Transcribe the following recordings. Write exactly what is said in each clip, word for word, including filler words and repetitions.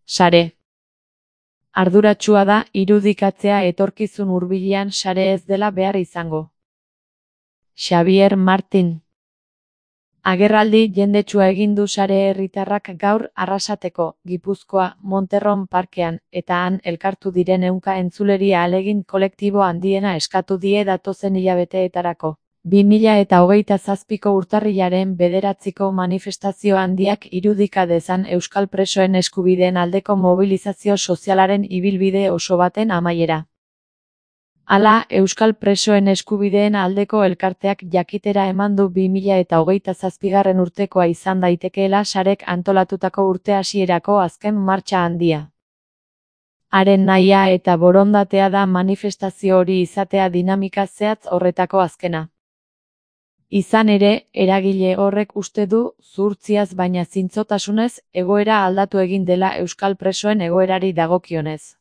Sare. Arduratsua da irudikatzea etorkizun hurbilean sare ez dela behar izango. Xabier Martin. Agerraldi jendetsua egin du sare herritarrak gaur Arrasateko, Gipuzkoa, Monterron parkean, eta han elkartu diren ehunka entzuleri ahalegin kolektibo handiena eskatu die datozen hilabeteetarako. bi mila eta hogeita zazpiko urtarrilaren bederatziko manifestazio handiak irudika dezan euskal presoen eskubideen aldeko mobilizazio sozialaren ibilbide oso baten amaiera. Hala, euskal presoen eskubideen aldeko elkarteak jakitera eman du bi mila eta hogeita zazpigarren urtekoa izan daitekeela sarek antolatutako urte hasierako azken martxa handia. Haren nahia eta borondatea da manifestazio hori izatea dinamika zehatz horretako azkena. Izan ere, eragile horrek uste du, zuhurtziaz baina zintzotasunez, egoera aldatu egin dela euskal presoen egoerari dagokionez.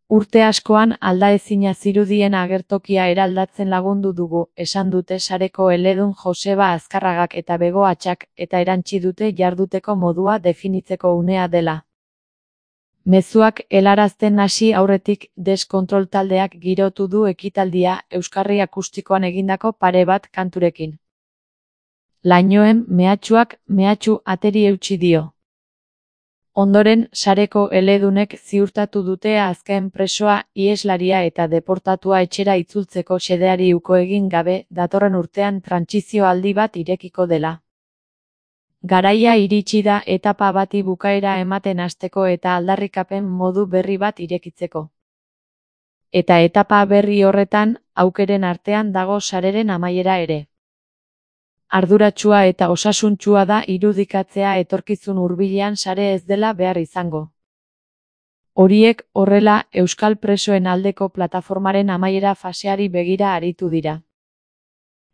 Urte askoan aldaezina zirudien agertokia eraldatzen lagundu dugu, esan dute sareko eledun Joseba Azkarragak eta Bego Atxak, eta erantsi dute jarduteko modua definitzeko unea dela. Mezuak helarazten hasi aurretik deskontrol taldeak girotu du ekitaldia euskarri akustikoan egindako pare bat kanturekin. Lainoen mehatxuak mehatxu ateri eutsi dio. Ondoren, sareko eledunek ziurtatu dute azken presoa, iheslaria eta deportatua etxera itzultzeko xedeari uko egin gabe, datorren urtean trantsizio aldi bat irekiko dela. Garaia iritsi da etapa bati bukaera ematen hasteko eta aldarrikapen modu berri bat irekitzeko. Eta etapa berri horretan, aukeren artean dago sareren amaiera ere. Arduratsua eta osasuntsua da irudikatzea etorkizun hurbilean sare ez dela behar izango. Horiek, horrela, euskal presoen aldeko plataformaren amaiera faseari begira aritu dira.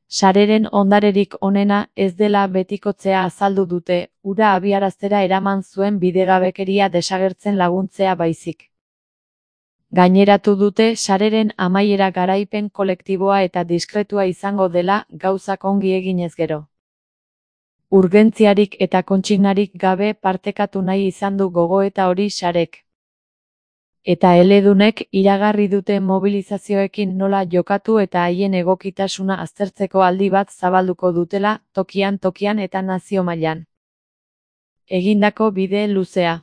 Sareren ondarerik onena ez dela betikotzea azaldu dute, hura abiaraztera eraman zuen bidegabekeria desagertzen laguntzea baizik. Gaineratu dute sareren amaiera garaipen kolektiboa eta diskretua izango dela gauzak ongi eginez gero. Urgentziarik eta kontsignarik gabe partekatu nahi izan du gogoeta hori sarek. Eta eledunek iragarri dute mobilizazioekin nola jokatu eta haien egokitasuna aztertzeko aldi bat zabalduko dutela, tokian tokian eta nazio mailan. Egindako bide luzea.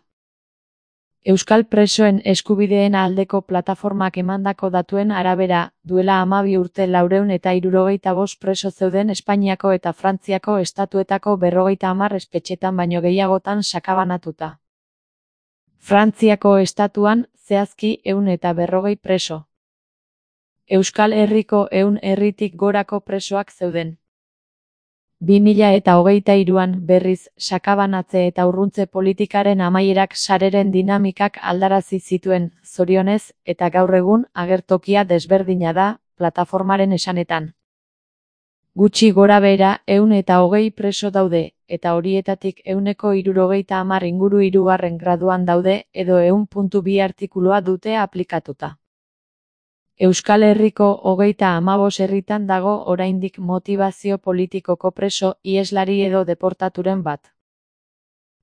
Euskal presoen eskubideen aldeko plataformak emandako datuen arabera, duela hamabi urte laurehun eta hirurogeita bost preso zeuden Espainiako eta Frantziako estatuetako berrogeita hamar espetxetan baino gehiagotan sakabanatuta. Frantziako estatuan, zehazki ehun eta berrogei preso. Euskal Herriko ehun herritik gorako presoak zeuden. bi mila eta hogeita hiruan berriz, sakabanatze eta urruntze politikaren amaierak sareren dinamikak aldarazi zituen, zorionez, eta gaur egun agertokia desberdina da, plataformaren esanetan. Gutxi gorabehera ehun eta hogei preso daude, eta horietatik ehuneko hirurogeita hamar inguru hirugarren graduan daude, edo ehun puntu bi artikulua dute aplikatuta. Euskal Herriko hogeita hamabost herritan dago oraindik motibazio politikoko preso, iheslari edo deportaturen bat.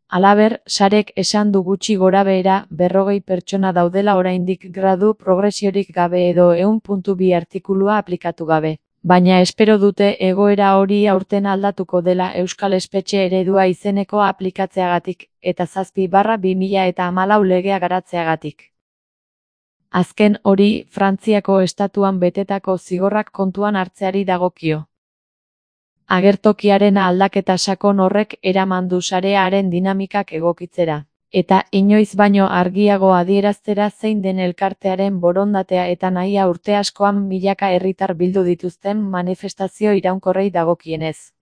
Halaber, sarek esan du gutxi gorabehera berrogei pertsona daudela oraindik gradu progresiorik gabe edo ehun puntu bi artikulua aplikatu gabe. Baina espero dute egoera hori aurten aldatuko dela Euskal Espetxe Eredua izeneko aplikatzeagatik, eta zazpi barra bi mila eta hamalau legea garatzeagatik. Azken hori, Frantziako estatuan betetako zigorrak kontuan hartzeari dagokio. Agertokiaren aldaketa sakon horrek eraman du sarearen dinamikak egokitzera. Eta inoiz baino argiago adieraztera zein den elkartearen borondatea eta nahia urte askoan milaka herritar bildu dituzten manifestazio iraunkorrei dagokienez.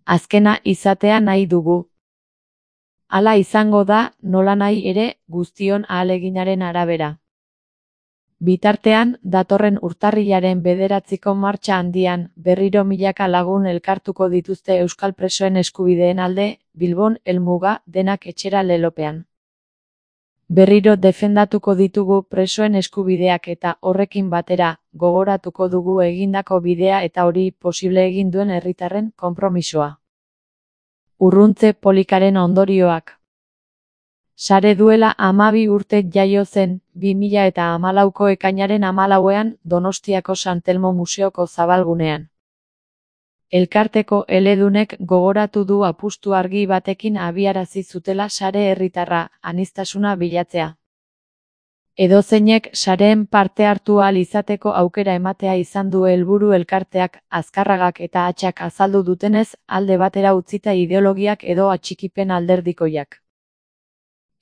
Azkena izatea nahi dugu. Hala izango da, nolanahi ere, guztion ahaleginaren arabera. Bitartean, datorren urtarrilaren bederatziko martxa handian, berriro milaka lagun elkartuko dituzte euskal presoen eskubideen alde, Bilbon, helmuga, denak etxera lelopean. Berriro defendatuko ditugu presoen eskubideak eta horrekin batera, gogoratuko dugu egindako bidea eta hori posible egin duen herritarren konpromisoa. Urruntze polikaren ondorioak. Sare duela hamabi urte jaio zen, bi mila eta hamalauko ekainaren hamalauean Donostiako San Telmo Museoko zabalgunean. Elkarteko eledunek gogoratu du apustu argi batekin abiarazi zutela sare herritarra, aniztasuna bilatzea. Edozeinek sareen parte hartu ahal izateko aukera ematea izan du helburu elkarteak, Azkarragak eta Atxak azaldu dutenez, alde batera utzita ideologiak edo atxikipen alderdikoiak.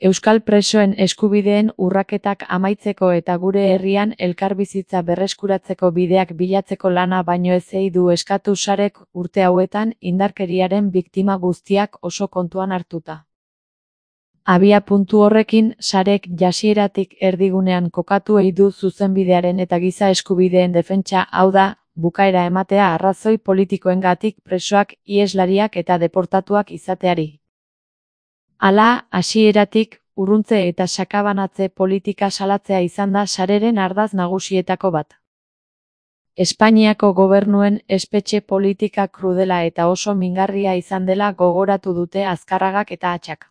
Euskal presoen eskubideen urraketak amaitzeko eta gure herrian elkarbizitza berreskuratzeko bideak bilatzeko lana baino ezei du eskatu sarek urte hauetan indarkeriaren biktima guztiak oso kontuan hartuta. Abia puntu horrekin, sarek jasieratik erdigunean kokatu ei du zuzenbidearen eta giza eskubideen defentsa, hau da, bukaera ematea arrazoi politikoengatik presoak, iheslariak eta deportatuak izateari. Hala, hasieratik, urruntze eta sakabanatze politika salatzea izan da sareren ardatz nagusietako bat. Espainiako gobernuen espetxe politika krudela eta oso mingarria izan dela gogoratu dute Azkarragak eta Atxak.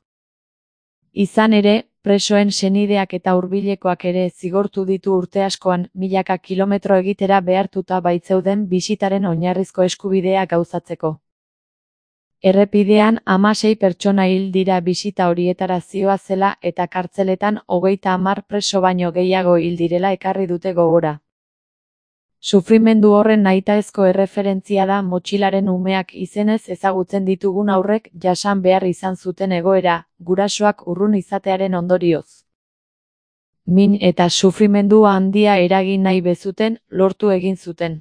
Izan ere, presoen senideak eta hurbilekoak ere zigortu ditu urte askoan milaka kilometro egitera behartuta baitzeuden bisitaren oinarrizko eskubidea gauzatzeko. Errepidean hamasei pertsona hil dira bisita horietara zihoazela eta kartzeletan hogeita hamar preso baino gehiago hil direla ekarri dute gogora. Sufrimendu horren nahitaezko erreferentzia da motxilaren umeak izenez ezagutzen ditugun haurrek jasan behar izan zuten egoera, gurasoak urrun izatearen ondorioz. Min eta sufrimendua handia eragin nahi bezuten, lortu egin zuten.